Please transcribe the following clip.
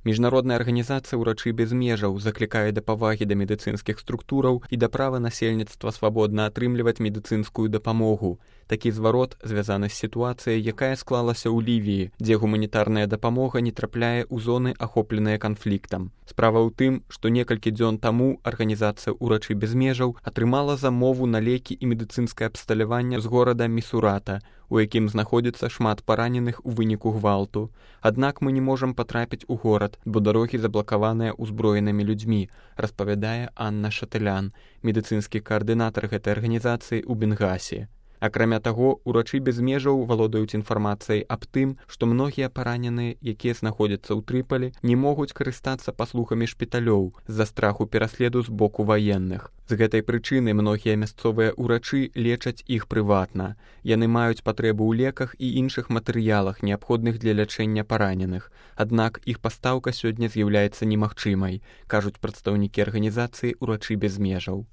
Міжнародная арганізацыя «Урачы без межаў» заклікае да павагі да медыцынскіх структураў і да права насельніцтва свабодна атрымліваць медыцынскую дапамогу. Такі зварот звязаны з сітуацыяй, якая склалася ў Лівіі, дзе гуманітарная дапамога не трапляе ў зоны, ахопленыя канфліктам. Справа ў тым, што некалькі дзён таму арганізацыя «Урачы без межаў» атрымала замову на лекі і медыцынскае абсталяванне з горада Місурата, у якім знаходзіцца шмат параненых у выніку гвалту. Аднак мы не можам патрапіць у горад, бо дарогі заблакаваныя ўзброенымі людзьмі, распавядае Анна Шатылян, медыцынскі каардынатар гэтай арганізацыі ў Бенгасі. Акрамя таго, «Урачы без межаў» валодаюць інфармацыяй аб тым, што многія параненыя, якія знаходзяцца ў Трыполі, не могуць карыстацца паслугамі шпіталёў з-за страху пераследу з боку ваенных. З гэтай прычыны многія мясцовыя ўрачы лечаць іх прыватна. Яны маюць патрэбу ў леках і іншых матэрыялах, неабходных для лячэння параненых. Аднак іх пастаўка сёння з'яўляецца немагчымай, кажуць прадстаўнікі арганізацыі «Урачы без межаў».